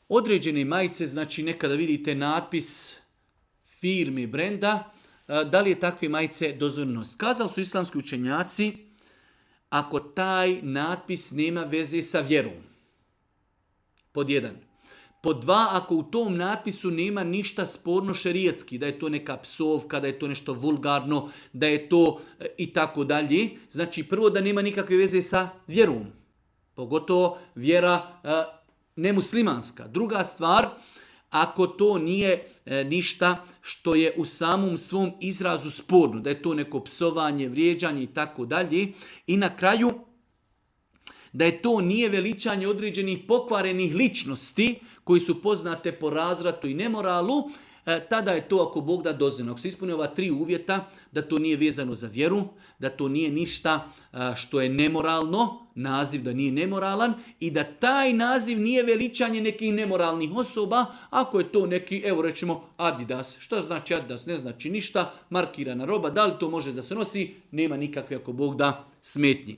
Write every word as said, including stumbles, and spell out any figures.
Određene majice, znači nekada vidite natpis firme, brenda, da li je takve majice dozvoljeno? Kazali su islamski učenjaci, ako taj natpis nema veze sa vjerom. Pod jedan. Pod dva, ako u tom natpisu nema ništa sporno šerijatski, da je to neka psovka, da je to nešto vulgarno, da je to i tako dalje. Znači prvo da nema nikakve veze sa vjerom. Pogotovo vjera e, nemuslimanska. Druga stvar, ako to nije e, ništa što je u samom svom izrazu sporno, da je to neko psovanje, vrijeđanje i tako dalje. I na kraju, da je to nije veličanje određenih pokvarenih ličnosti koji su poznate po razvratu i nemoralu, e, tada je to ako Bog da dozvoljeno. Ako se ispuni ova tri uvjeta, da to nije vezano za vjeru, da to nije ništa a, što je nemoralno, naziv da nije nemoralan i da taj naziv nije veličanje nekih nemoralnih osoba, ako je to neki, evo rećemo Adidas. Šta znači Adidas? Ne znači ništa, markirana roba, da li to može da se nosi? Nema nikakve ako Bog da smetnji.